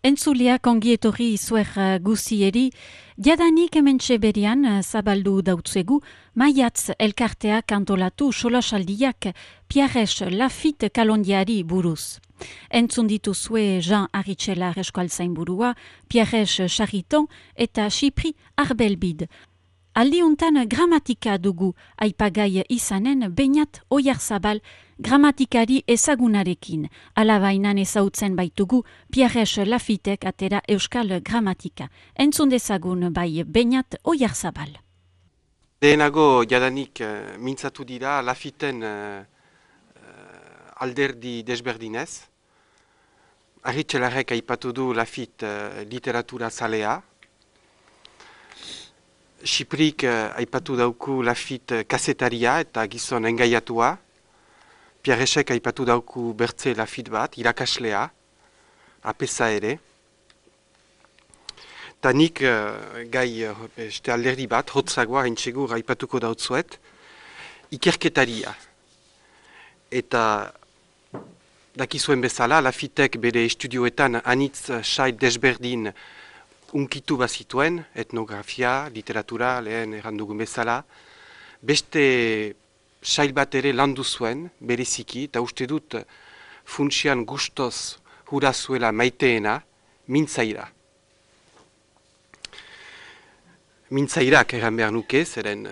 Entzuleak ongi etorri izuer guzieri, jadanik hementxe berian zabaldu dautzegu, maiatz elkarteak antolatu solasaldiak Pierres Lafitte kalondiari buruz. Entzun dituzue Jean Aritxelar eskualtzainburua, Pierres Chariton eta Xipri Arbelbid. Aldiuntan gramatika dugu aipagai izanen Beñat Oyarzabal gramatikari ezagunarekin. Alabainan ezautzen baitugu Pierres Lafittek atera euskal gramatika. Entzun dezagun bai Beñat Oyarzabal. Lehenago jadanik mintzatu dira Lafitten alderdi desberdinez. Aritxelarrek aipatu du Lafitte literatura zalea. Xiprik aipatu dauku Lafitte kasetaria eta gizon engaiatua. Pierresek aipatu dauku bertze Lafitte bat, irakaslea, apesa ere. Ta nik gai beste alderdi bat, hotzagoa haintsegur aipatuko dautzuet, ikerketaria. Eta dakizuen bezala, Lafittek bere estudioetan anitz sail desberdin unkitu bazituen, etnografia, literatura, lehen errandugun bezala, beste sail bat ere landu zuen, bereziki, eta uste dut funtsian gustoz hura zuela maiteena, mintzaira. Mintzairak erran behar nuke, zeren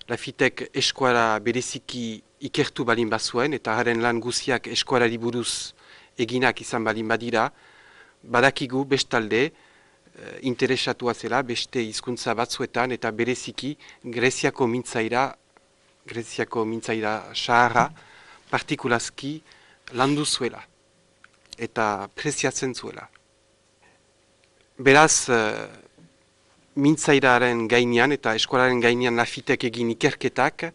Lafittek eskuara bereziki ikertu balin bazuen, eta haren lan guziak eskuarari buruz eginak izan balin badira, badakigu bestalde, interesatua zela beste hizkuntza batzuetan eta bereziki Greziako mintzaira saharra partikulazki landu zuela eta preziatzen zuela. Beraz, mintzairaren gainean eta eskolaren gainean Lafittek egin ikerketak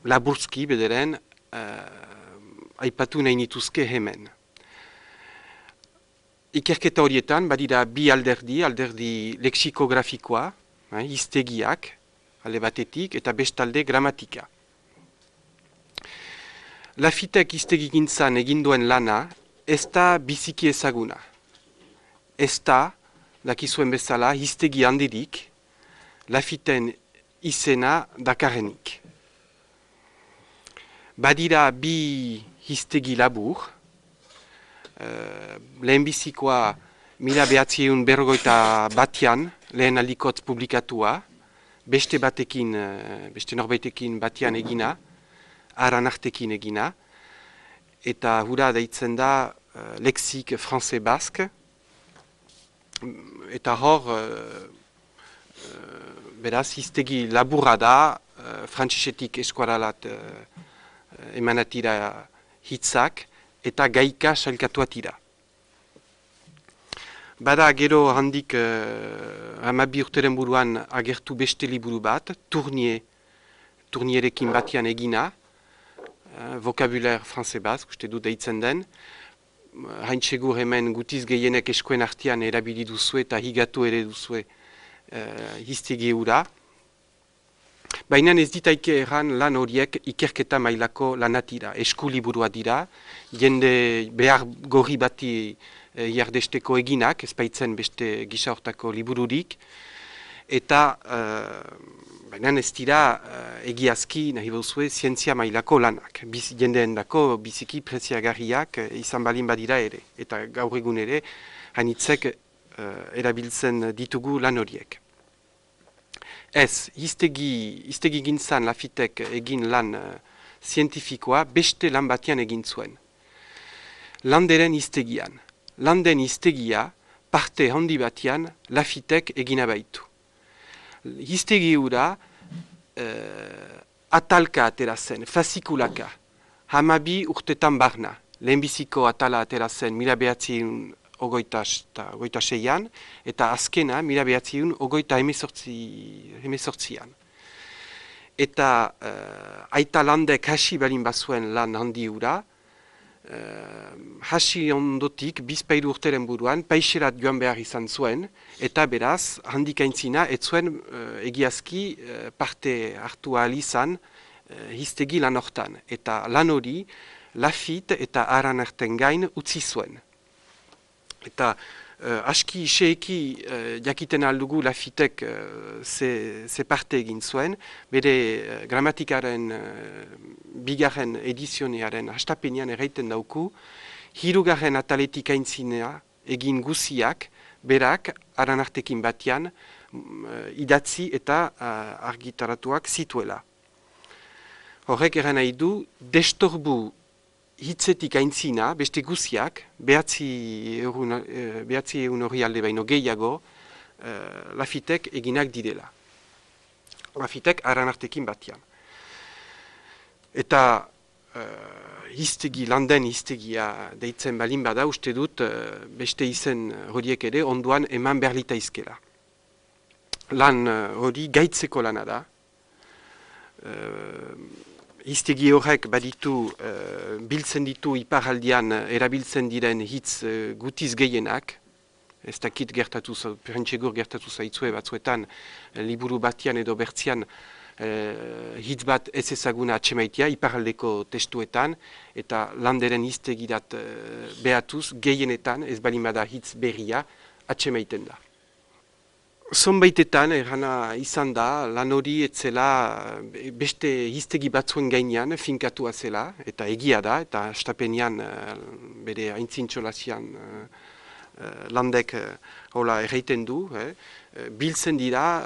laburzki bederen aipatu nahi nituzke hemen. Ikerketa horietan badira bi alderdi leksikografikoa, hiztegiak, alde batetik, eta bestalde gramatika. Lafittek hiztegigintzan eginduen lana ez da biziki ezaguna. Ez da, dakizuen bezala, hiztegi handirik, Lafitten izena dakarrenik. Badira bi hiztegi labur, lehenbizikoa 1941 lehen aldikotz publikatua, beste norbaitekin batian egina, aranartekin egina, eta hura deitzen da Lexique Français Basque, eta hor, beraz, hiztegi laburra da, frantsesetik eskuaralat emanatira hitzak, eta gaika sailkatuatira. Bada gero handik 12 urteren buruan agertu beste liburu bat, Tournierekin batian egina, vocabulaire français basque, uste du deitzen den, haintsegur hemen gutiz gehienek eskoen artean erabili duzue eta higatu ere duzue hiztegi hura. Baina ez ditaike erran lan horiek ikerketa mailako lanatira, eskuliburua dira, jende behar gorri bati jardesteko eginak, ez baitzen beste gisa hortako libururik, eta baina ez dira egiazki nahi bozue zientzia mailako lanak, jendeen dako biziki preziagarriak izan balin badira ere, eta gaur egun ere hainitzek erabiltzen ditugu lan horiek. Ez, hiztegi gintzan Lafittek egin lan zientifikoa beste lan batian egin zuen. Landeren hiztegian. Landen hiztegia parte handi batian Lafittek egina baitu. Hiztegi hura atalka atera zen, fasikulaka. 12 urtetan barna. Lehenbiziko atala atera zen 1926an, eta azkena 1928an. Eta aita landek hasi balin bazuen lan handi hura, hasi ondotik, bizpairu urteren buruan, paixerat joan behar izan zuen, eta beraz, handik aintzina, ez zuen egiazki parte hartu ahal izan hiztegi lan hortan. Eta lan hori, Lafitte eta Aranerten gain utzi zuen. Eta aski iseeki jakiten aldugu Lafitek ze parte egin zuen, bere gramatikaren bigarren edizionearen hastapenean erraiten dauku, hirugarren ataletik aintzinea egin guziak, berak Aranartekin batian idatzi eta argitaratuak zituela. Horrek eran nahi du, destorbu hitzetik aintzina, beste guziak, behatzi egun hori alde baino gehiago, Lafitek eginak didela. Lafitek Aranartekin batian. Eta landen hiztegia deitzen balin bada, uste dut beste izen horiek ere onduan eman berlita izkela. Lan hori gaitzeko lana da. Hiztegi horrek baditu, biltzen ditu iparaldian erabiltzen diren hitz gutiz gehienak. Ez dakit perentsegur gertatu zaitzue batzuetan, liburu batian edo bertzian hitz bat ez ezaguna atsemaitia iparaldeko testuetan, eta landeren hiztegirat behatuz gehienetan ez balin bada hitz berria atsemaiten da. Zonbaitetan errana izan da, lan hori etzela beste hiztegi batzuen gainean finkatua zela, eta egia da, eta hastapenean bere aintzintxolazian landek hola erraiten du, biltzen dira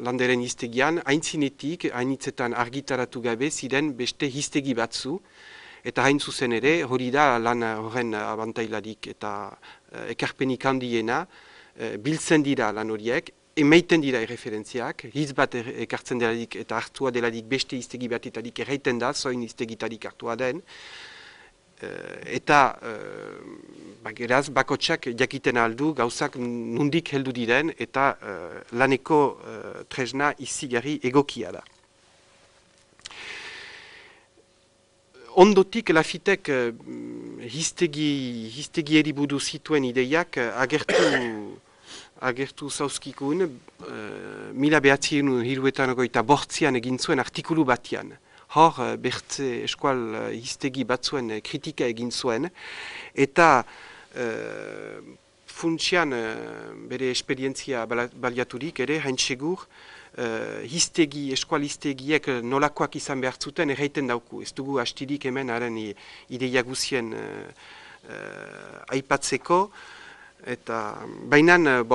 landeren hiztegian, aintzinetik, hainitzetan argitaratu gabe ziren beste hiztegi batzu, eta hain zuzen ere, hori da lan horren abantailarik eta ekarpenik handiena, biltzen dira lan horiek, emaiten dira erreferentziak, hitz bat ekartzen delarik eta hartua delarik beste hiztegi batetarik erraiten da, zoin hiztegitarik hartua den, eta geraz bakotsak jakiten aldu gauzak nundik heldu diren eta laneko tresna izigarri egokia da. Ondotik Lafitek hiztegieri buruz zituen ideiak agertu zauzkikun, 1978an egin zuen artikulu batian. Hor, bertze eskual hiztegi batzuen kritika egin zuen, eta funtsian bere esperientzia baliaturik ere, hain segur, eskual hiztegiek nolakoak izan behar zuten erraiten dauku. Ez dugu hastirik hemen haren ideia guzien aipatzeko, eta bainan,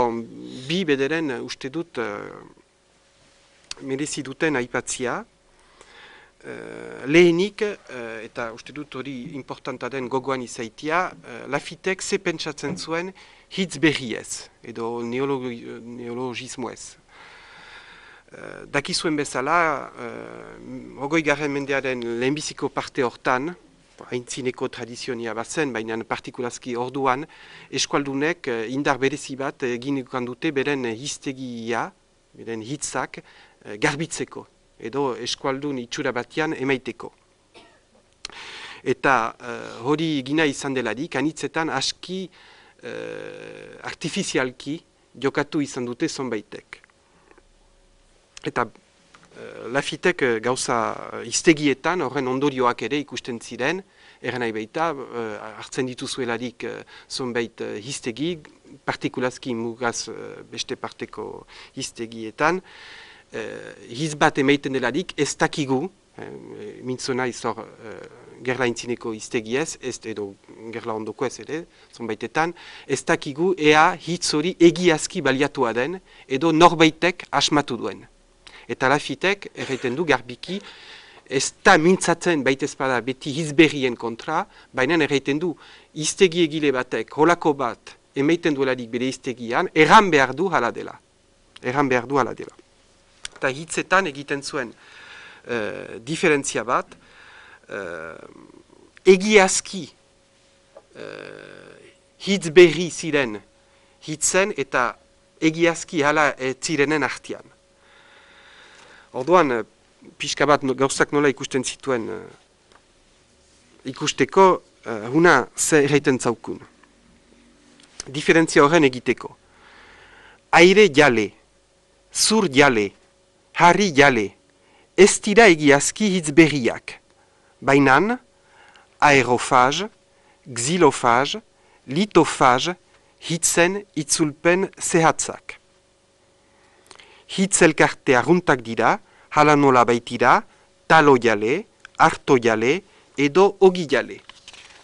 bi bederen uste dut merezi duten aipatzia. Lehenik, eta uste dut hori importanta den gogoan izaitia, Lafitek ze pentsatzen zuen hitz berriez, edo neologismoez. Dakizuen bezala, 20. mendearen lehenbiziko parte hortan, aintzineko tradizionia bazen, baina partikulazki orduan, eskualdunek indar berezi bat egin dute beren hiztegia, beren hitzak garbitzeko, edo eskualdun itxura batian emaiteko. Eta hori gina izan delarik, anitzetan aski artifizialki jokatu izan dute zonbaitek. Eta Lafitek gauza hiztegietan horren ondorioak ere ikusten ziren, nahi baita, hartzen dituzuelarik zonbait hiztegi, partikulazki mugaz beste parteko hiztegietan, hitz bat emaiten delarik ez dakigu, mintzona izor gerla intzineko hiztegiez, edo gerla ondoko ez ere, zonbaitetan, ez dakigu ea hitz hori egiazki baliatua den, edo norbaitek asmatu duen. Eta Lafitek erraiten du garbiki, ez da mintzatzen baitezpada beti hizberrien kontra, baina erraiten du hiztegi egile batek, holako bat, emaiten duelarik bere hiztegian, erran behar du hala dela. Erran behar du hala dela. Eta hitzetan egiten zuen diferentzia bat, egiazki hitz berri ziren hitzen eta egiazki hala zirenen artean. Orduan, pixka bat gauzak nola ikusten zituen ikusteko, huna ze erraiten zaukun. Diferentzia horren egiteko. Aire jale, zur jale, harri jale, ez dira egiazki hitz berriak. Bainan, aerofaz, xilofaz, litofaz, hitzen itzulpen zehatzak. Hitz elkarte arruntak dira, hala nola baitira, talo jale, harto jale, edo ogi jale.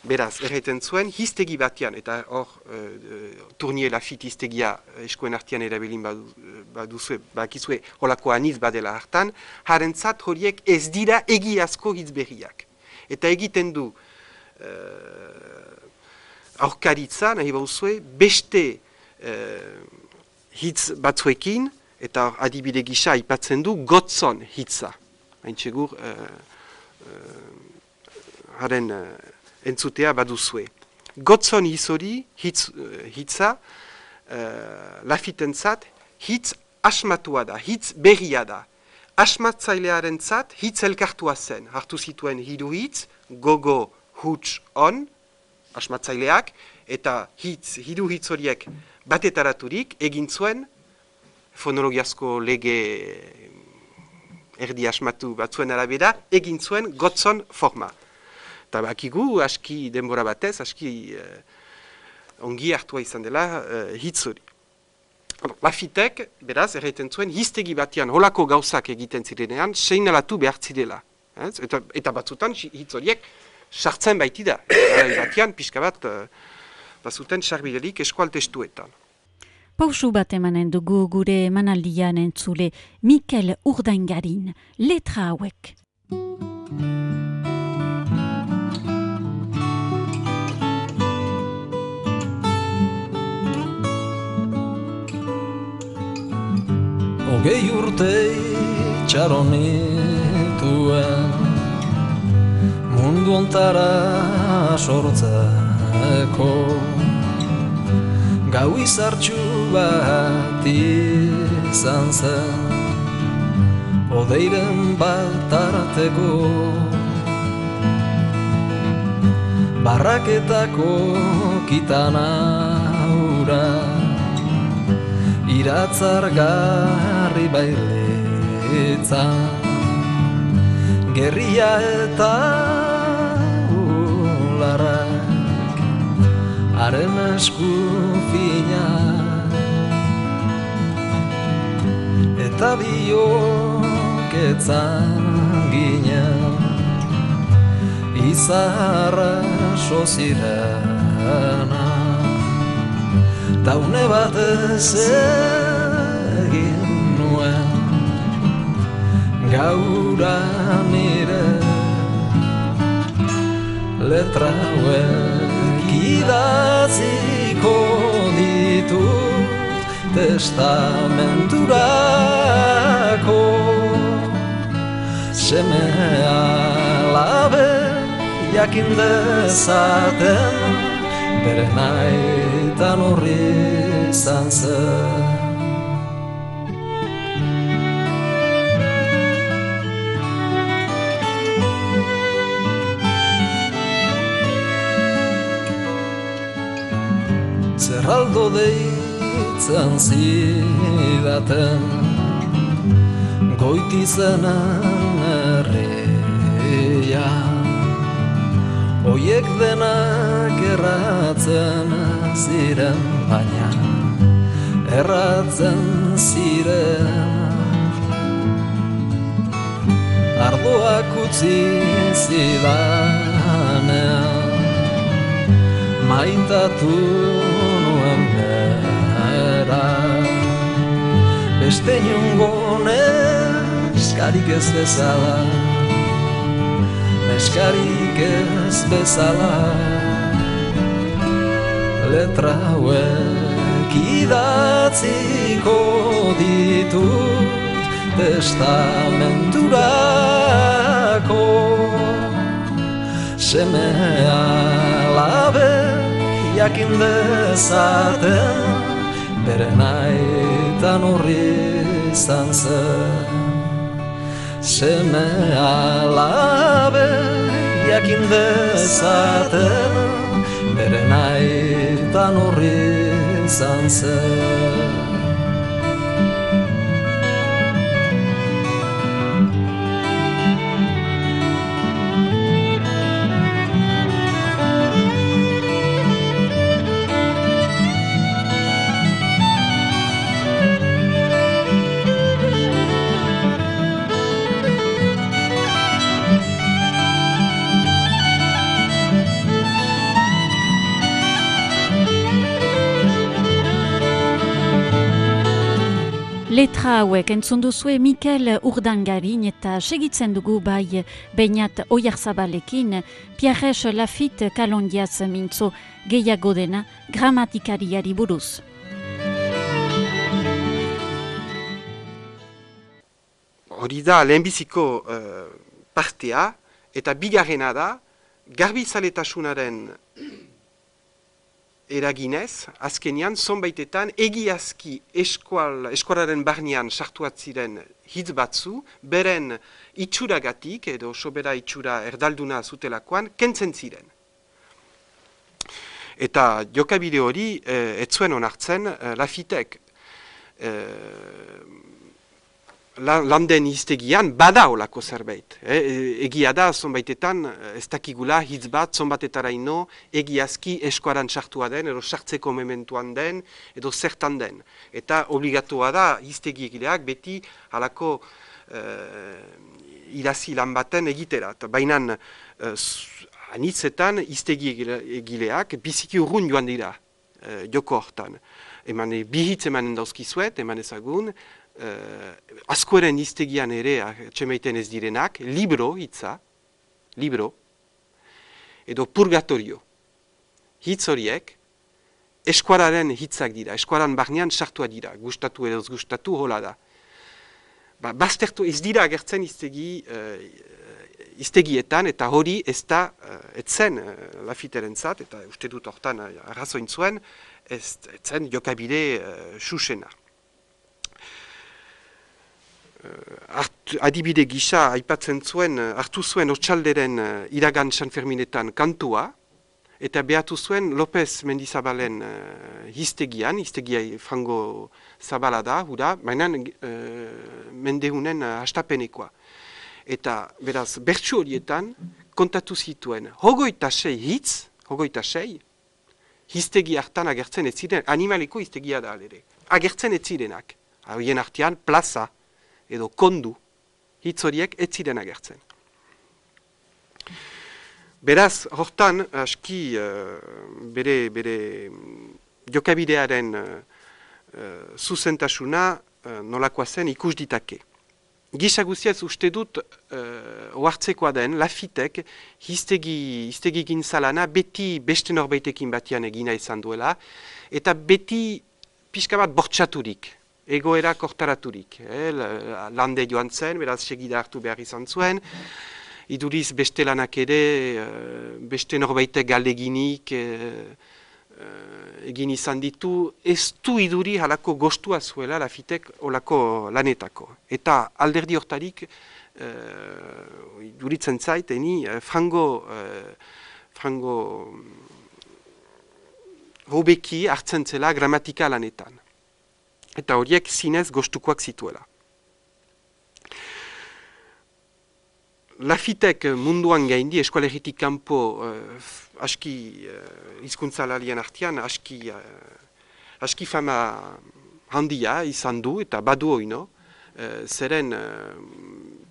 Beraz, erraiten zuen, hiztegi batean, eta hor, Tournier Lafitte hiztegia eskuen artean erabilin baduzue, bakizue, holako aniz badela hartan, harentzat horiek ez dira egiazko hitz berriak. Eta egiten du aurkaritza, nahi bauzue, beste hitz batzuekin, eta adibide gisa aipatzen du gotzon hitza. Hain txegur, haren entzutea baduzue. Gotzon hitz hori, hitza, Lafittentzat, hitz asmatua da, hitz berria da. Asmatzailearen zat, hitz elkartua zen. Hartu zituen hiru hitz, gogo, huts, on, asmatzaileak, eta hiru hitz horiek batetaraturik egin zuen fonologiazko lege erdi asmatu batzuen arabera, egin zuen gotzon forma. Eta bakigu, aski denbora batez, aski ongi hartua izan dela hitz hori. Lafittek, beraz, erraiten zuen, hiztegi batean holako gauzak egiten zirenean, seinalatu behar zirela. Eta batzutan, hitz horiek sartzen baitida. Batean, pixka bat, bazuten sarbidelik eskual testuetan. Pausu bat emanen dugu gure emanaldian entzule Mikel Urdaingarin, letra hauek. Hogei urte itxaronituen mundu ontara sortzeko gau izartxu bat izan zen odeiren bat arteko barraketako kitana ura iratzargarri bailetzan gerria eta ularrak haren esku fina eta bioketzan ginen izarra sozirana taune batez egin nuen gaura nire letra hauek idatziko ditut testamenturako seme alabe jakin dezaten bere nahitan horri izan zen. Zerraldo deitzen zidaten goitizenen herria oiek denak erratzen ziren baina erratzen ziren ardoak utzi zidanean maitatu nuen bera beste inongo neskarik ez bezala neskarik ez bezala letra hauek idatziko ditut testamenturako seme alabe jakin dezaten bere nahitan horri izan zen seme alabe jakin dezaten bere nahitan horri izan zen. Letra hauek entzun duzue Mikel Urdangarin eta segitzen dugu bai Beñat Oyarzabalekin, Pierres Lafitte Kalondiaz mintzo gehiago dena gramatikariari buruz. Hori da lehenbiziko partea eta bigarrena da garbizaletasunaren eraginez, azkenian, zonbaitetan, egiazki eskualaren barnean sartuat ziren hitz batzu, beren itxuragatik, edo sobera itxura erdalduna zutelakoan, kentzen ziren. Eta jokabide hori, ez zuen onartzen, Lafittek landen hiztegian bada olako zerbait. Egia da, zonbaitetan, ez dakigula hitz bat, zonbatetaraino, egiazki eskuaran sartua den, edo sartzeko mementuan den, edo zertan den. Eta obligatua da, hiztegi egileak beti halako irazi lan baten egiterat. Baina, anitzetan, hiztegi egileak biziki urrun joan dira, joko hortan. Bi hitz emanen dauzkizuet, eman ezagun, askoren hiztegian ere atxemaiten ez direnak, libro hitza, libro, edo purgatorio. Hitz horiek, eskuararen hitzak dira, eskuaran barnean sartua dira, gustatu edo gustatu hola da. Baztertu ez dira agertzen hiztegietan, eta hori ez da, etzen Lafitterentzat, eta uste dut hortan arrazoin zuen, etzen jokabide susena. Adibide gisa aipatzen zuen, hartu zuen Otsalderen iragan Sanferminetan kantua, eta behatu zuen López Mendizabalen hiztegia frango zabala da, baina mendehunen hastapenekoa. Eta beraz, bertsu horietan kontatu zituen, 26 hitz, 26, hiztegi hartan agertzen ez ziren, animaliko hiztegia da alere, agertzen ez zirenak, horien artean plaza, edo kondu, hitz horiek ez ziren agertzen. Beraz, hortan, aski bere jokabidearen zuzentasuna nolakoa zen ikus ditake. Gisa guziaz uste dut ohartzekoa den, Lafittek hiztegi gintzalana beti beste norbaitekin batian egina izan duela, eta beti pixka bat bortxaturik. Egoera kortaraturik. Lande joan zen, beraz segida hartu behar izan zuen. Iduriz beste lanak ere, beste norbaitek galdeginik egin izan ditu. Ez du iduri halako gostua zuela Lafittek olako lanetako. Eta alderdi hortarik, iduritzen zait, frango hobeki hartzen zela gramatika lanetan. Eta horiek zinez gostukoak zituela. Lafittek munduan gaindi, eskualeritik kanpo aski hizkuntzalarien artean, aski fama handia izan du, eta badu oino, zeren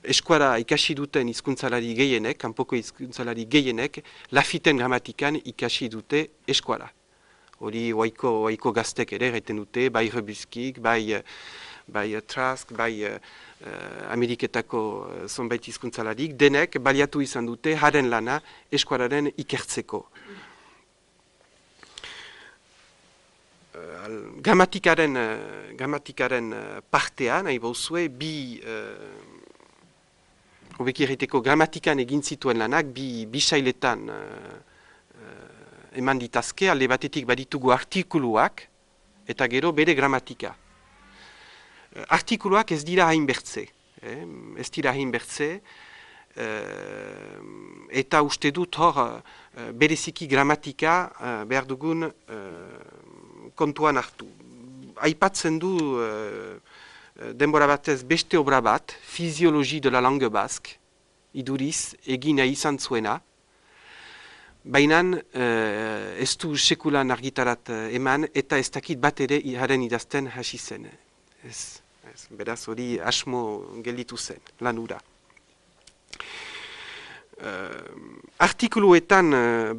eskuara ikasi duten hizkuntzalari gehienek, kanpoko hizkuntzalari gehienek, Lafitten gramatikan ikasi dute eskuara. Hori oaiko gaztek ere gaiten dute, bai Rebizkik, bai Trask, bai Ameriketako zonbait hizkuntzalarik, denek baliatu izan dute haren lana eskuararen ikertzeko. Gramatikaren partean, nahi bauzue, hobeki erriteko gramatikan egin zituen lanak, bi sailetan eman ditazke, alde batetik baditugu artikuluak, eta gero bere gramatika. Artikuluak ez dira hainbertze, eta uste dut hor bereziki gramatika behar dugun kontuan hartu. Aipatzen du denbora batez beste obra bat, Physiologie de la langue basque, iduriz egina izan zuena, baina ez du sekulan argitarat eman, eta ez dakit bat ere haren idazten hasi zen. Beraz hori asmo gelditu zen, lanura. Artikuluetan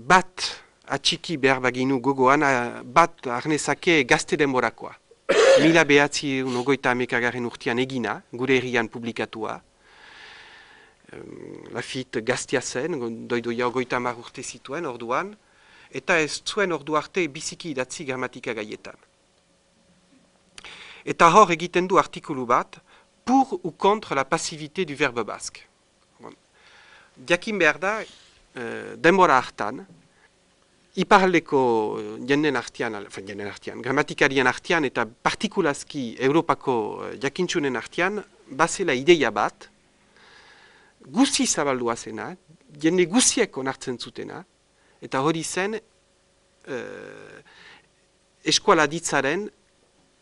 bat atxiki behar baginu gogoan, bat arnezake gazte denborakoa. 1911 urtean egina, gure herrian publikatua. Lafitte gaztia zen, doidoia 30 urte zituen orduan, eta ez zuen ordu arte biziki idatzi gramatika gaietan. Eta hor egiten du artikulu bat, pour ou contre la passivité du verbe basque. Jakin behar da, denbora hartan, iparaldeko jenden artean, gramatikarien artean eta partikulazki Europako jakintsunen artean, bazela ideia bat, guzi zabaldua zena, jende guziek onartzen zutena, eta hori zen eskuala ditzaren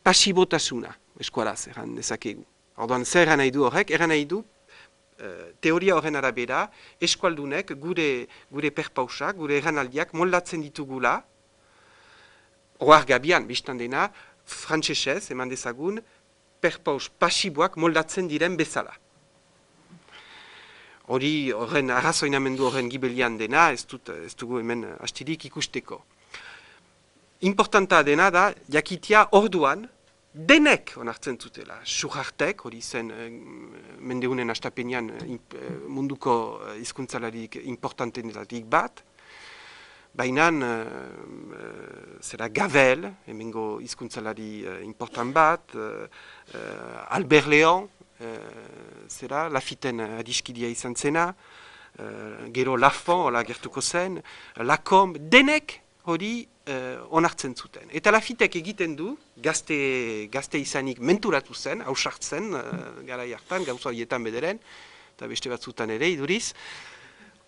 pasibotasuna, eskualaz, erran dezakegu. Orduan, zer eran nahi du horrek? Eran nahi du, teoria horren arabera, eskualdunek gure perpausak, gure erranaldiak moldatzen ditugula, ohar gabian, biztan dena, frantsesez, eman dezagun, perpaus pasiboak moldatzen diren bezala. Hori horren arrazoinamendu horren gibelian dena, ez dugu hemen hastirik ikusteko. Importanta dena da, jakitia orduan, denek onartzen zutela. Suhartek, hori zen mendeunen astapenean munduko hizkuntzalarik importantenetatik bat, baina zera Gavel, hemengo hizkuntzalari important bat, Albert Léon, zera, Lafitten adiskidia izan zena, gero Lafont, hola gertuko zen, Lacombe, denek hori onartzen zuten. Eta Lafittek egiten du, gazte izanik menturatu zen, hausartzen, gara jartan, gauza horietan bederen, eta beste batzutan ere, iduriz.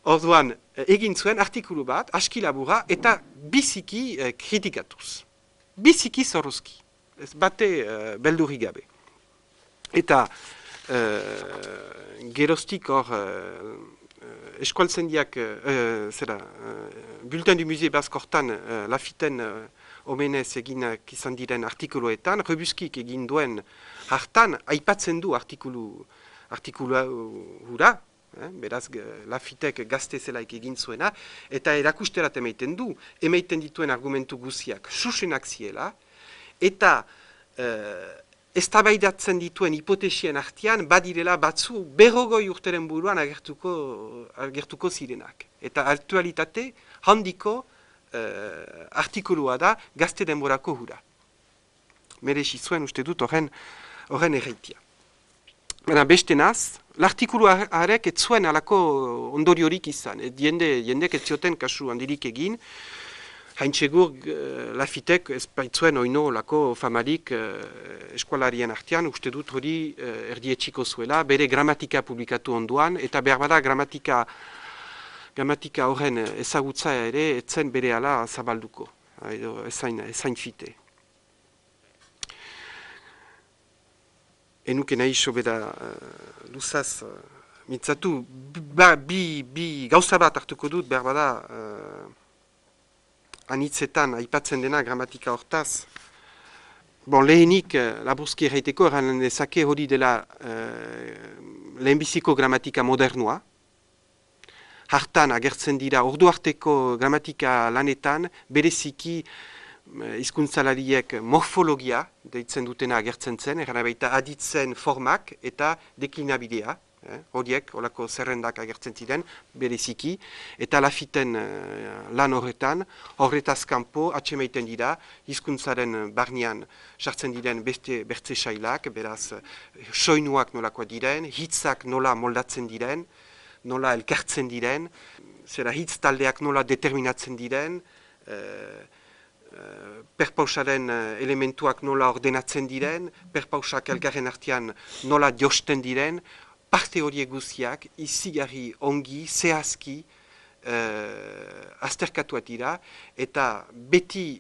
Orduan, egin zuen artikulu bat, aski labura, eta biziki kritikatuz. Biziki zorrozki. Ez bate beldurri gabe. Eta geroztik hor eskualtzendiak, Bulletin du Musée Basque hortan Lafitten omenez eginak izan diren artikuluetan, Rebuskik egin duen hartan, aipatzen du artikulu hura, beraz Lafittek gazte zelaik egin zuena, eta erakusterat emaiten du, emaiten dituen argumentu guziak susenak ziela, eta eztabaidatzen dituen hipotesien artean badirela batzu 40 urteren buruan agertuko zirenak. Eta aktualitate handiko artikulua da gazte denborako hura. Merezi zuen uste dut horren erreitia. Baina beste naz, l'artikulu harek ez zuen alako ondoriorik izan. Jendek ez zioten kasu handirik egin, haintsegur Lafittek ez baitzuen oino lako famarik eskualarien artean, uste dut hori erdietxiko zuela, bere gramatika publikatu onduan, eta behar bada gramatika horren ezagutza ere etzen bere ala zabalduko, ezain fite. Enuke nahi sobera luzaz mitzatu, bi gauza bat hartuko dut, behar bada anitzetan aipatzen dena gramatika hortaz. Lehenik, laburzki erraiteko, erran dezake hori dela lehenbiziko gramatika modernua. Hartan agertzen dira ordu arteko gramatika lanetan, bereziki hizkuntzalariek morfologia deitzen dutena agertzen zen, erran baita aditzen formak eta deklinabidea. Horiek, olako zerrendak agertzen ziren, bereziki, eta Lafitten lan horretaz kanpo atxemaiten dira, hizkuntzaren barnean sartzen diren beste bertze sailak, beraz, soinuak nolakoa diren, hitzak nola moldatzen diren, nola elkartzen diren, zera hitz taldeak nola determinatzen diren, perpausaren elementuak nola ordenatzen diren, perpausak elgarren artean nola josten diren, parte horiek guziak izigarri ongi, zehazki azterkatuak dira, eta beti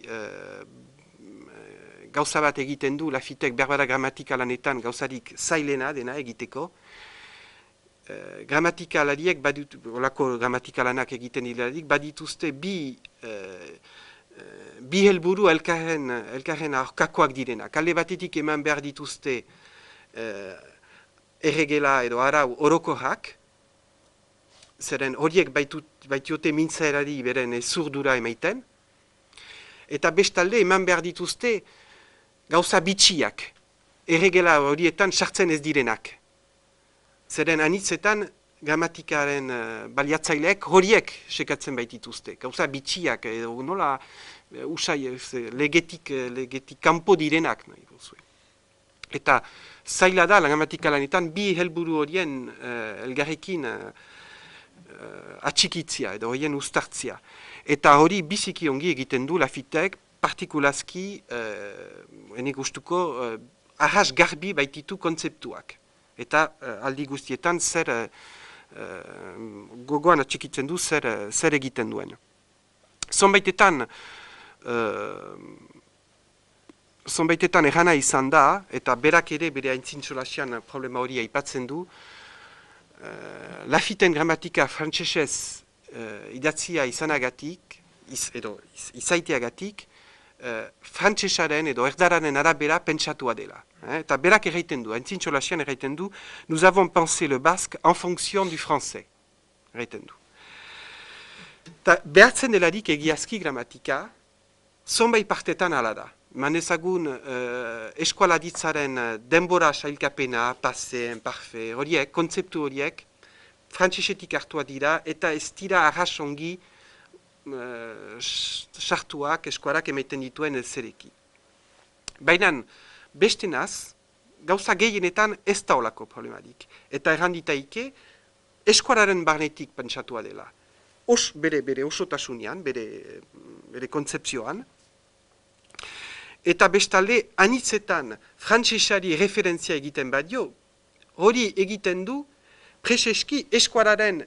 gauza bat egiten du, Lafittek berbara gramatika lanetan gauzarik zailena dena egiteko. Gramatikalarik, olako gramatikalanak egiten dilarik, badituzte bi helburu elkarren aurkakoak direnak. Alde batetik eman behar dituzte erregela edo arau orokorrak, zeren horiek baitiote mintzaerari beren zurdura emaiten, eta bestalde eman behar dituzte gauza bitxiak, erregela horietan sartzen ez direnak. Zeren anitzetan gramatikaren baliatzaileek horiek sekatzen baitituzte. Gauza bitxiak, edo nola usai legetik kanpo direnak nahi duzue. Eta zaila da, gramatika lanetan, bi helburu horien elgarrekin atxikitzia edo horien ustartzia. Eta hori biziki ongi egiten du Lafittek, partikulazki, enik gustuko, arras garbi baititu kontzeptuak. Eta aldi guztietan gogoan atxikitzen du zer egiten duen. Zonbaitetan errana izan da, eta berak ere bere aintzintxolasian problema hori aipatzen du, Lafitten gramatika frantsesez idatzia izanagatik, edo izaiteagatik, frantsesaren edo erdararen arabera pentsatua dela. Eta berak erraiten du, aintzintxolasian erraiten du, nous avons pensé le basque en fonction du français. Erraiten du. Behartzen delarik egiazki gramatika, zonbait partetan ala da. Manezagun eskualaditzaren denbora sailkapena, passé, imparfait, horiek, kontzeptu horiek, frantsesetik hartua dira, eta ez dira arras ongi sartuak eskuarak emaiten dituen zereki. Baina, bestenaz, gauza gehienetan ez da olako problemarik. Eta erranditaike, eskuararen barnetik pentsatua dela. Bere osotasunean, bere kontzepzioan, eta bestalde, anitzetan frantsesari referentzia egiten badio, hori egiten du preseski eskuararen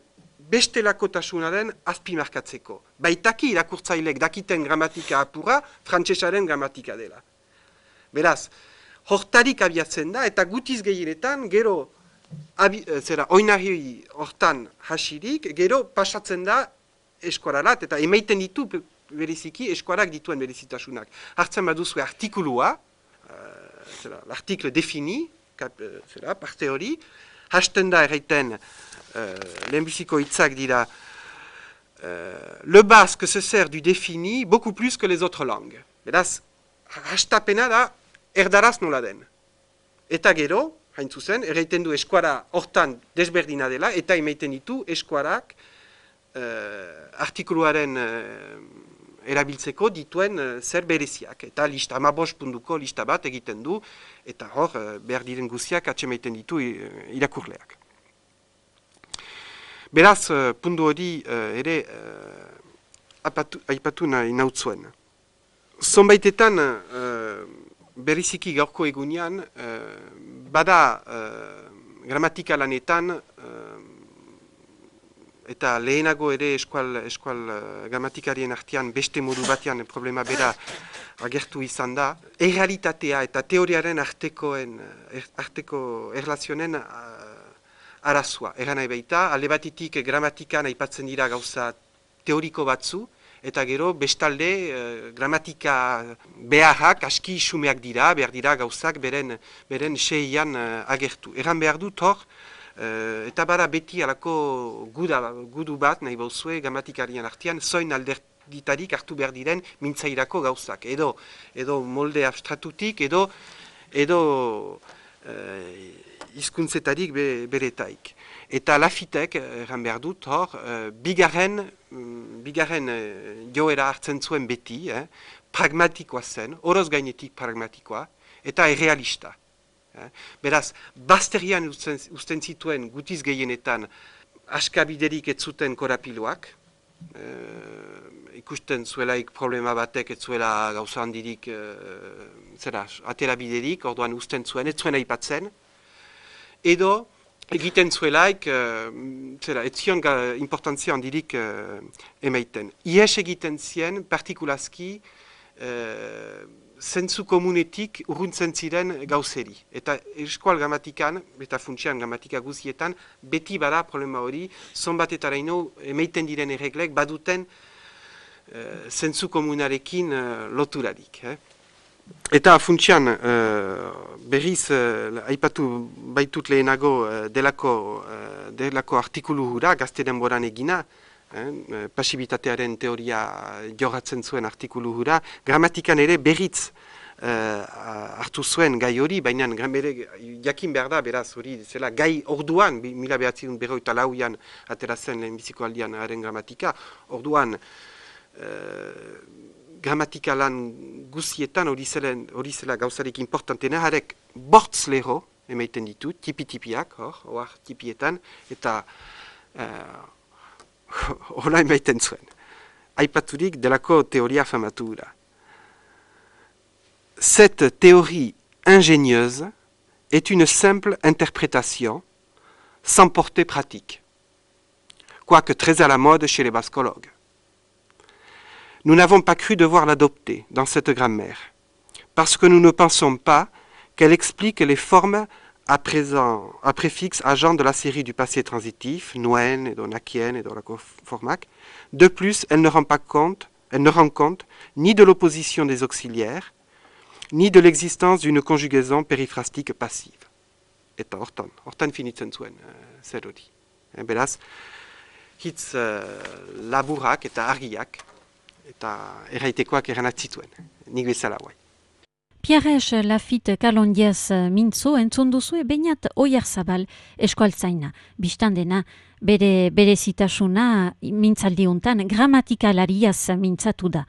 bestelakotasunaren azpimarkatzeko. Baitaki irakurtzailek dakiten gramatika apura, frantsesaren gramatika dela. Beraz, hortarik abiatzen da, eta gutiz gehienetan, gero, oinarri hortan hasirik, gero pasatzen da eskuararat, eta emaiten ditu bereziki eskuarak dituen berezitasunak. Hartzen baduzue artikulua, l'article defini, parte hori, hasten da erraiten, lehenbiziko hitzak dira, le basque se sert du défini beaucoup plus que les autres langues. Beraz, hastapena da erdaraz nola den. Eta gero, hain zuzen, erraiten du eskuara hortan desberdina dela, eta emaiten ditu eskuarak artikuluaren erabiltzeko dituen zer bereziak. Eta lista, 15 puntuko lista bat egiten du, eta hor behar diren guziak atsemaiten ditu irakurleak. Beraz, puntu hori ere aipatu nahi nautzuen. Zonbaitetan, beriziki gaurko egunean, bada gramatika lanetan, eta lehenago ere eskual gramatikarien artean beste modu batean problema bera agertu izan da, errealitatea eta teoriaren arteko erlazionen arazua. Eran nahi baita, alde batitik gramatikan aipatzen dira gauza teoriko batzu, eta gero bestalde gramatika beharrak aski xumeak dira, behar dira gauzak beren seian agertu. Eran behar dut hor, eta bara beti alako gudu bat nahi bauzue gramatikarien artean, zoin alderditarik hartu behar diren mintzairako gauzak. Edo molde abstratutik, edo hizkuntzetarik beretaik. Eta Lafittek, erran behar dut, hor, bigarren joera hartzen zuen beti, pragmatikoa zen, oroz gainetik pragmatikoa, eta errealista. Beraz, bazterian usten zituen gutiz gehienetan askabiderik ez zuten korapiloak, ikusten zuelaik problema batek ez zuela gauza handirik aterabiderik, orduan usten zuen, ez zuen aipatzen, edo egiten zuelaik, ez zion importantzia handirik emaiten. Ies egiten zien, partikulazki, zentzu komunetik urruntzen ziren gauzeri. Eta eskual gramatikan, eta funtsian gramatika guzietan, beti bada problema hori, zonbatetaraino emaiten diren erreglek baduten zentzu komunarekin loturarik. Eta funtsian berriz aipatu baitut lehenago delako artikulu hura, gazte denboran egina, pasibitatearen teoria jorratzen zuen artikulu hura, gramatikan ere berriz hartu zuen gai hori, baina jakin behar da, beraz hori, zela gai orduan, 1954an atera zen lehenbiziko aldian haren gramatika, orduan gramatika lan guzietan hori zela gauzarik importantena, harek bortz lero emaiten ditu, tipi-tipiak, hor tipietan, eta hola emaiten zuen. Aipaturik delako teoria famatu da. Cette théorie ingénieuse est une simple interprétation sans portée pratique, quoique très à la mode chez les bascologues. Nous n'avons pas cru devoir l'adopter dans cette grammaire, parce que nous ne pensons pas qu'elle explique les formes à préfixe agent de la série du passé transitif, noen, et donakien, et donakoformak. De plus, elle ne rend compte ni de l'opposition des auxiliaires, ni de l'existence d'une conjugaison périphrastique passive. Eta hortan finitzen zuen, zer hori. Beraz, hitz laburak eta argiak, eta erraitekoak eranak zituen, nik bezala guai. Pierre Lafitte Kalondiaz mintzo entzun duzue Beñat Oyarzabal eskualtzaina. Bistan dena bere berezitasuna mintzaldiuntan gramatikalaria mintzatu da.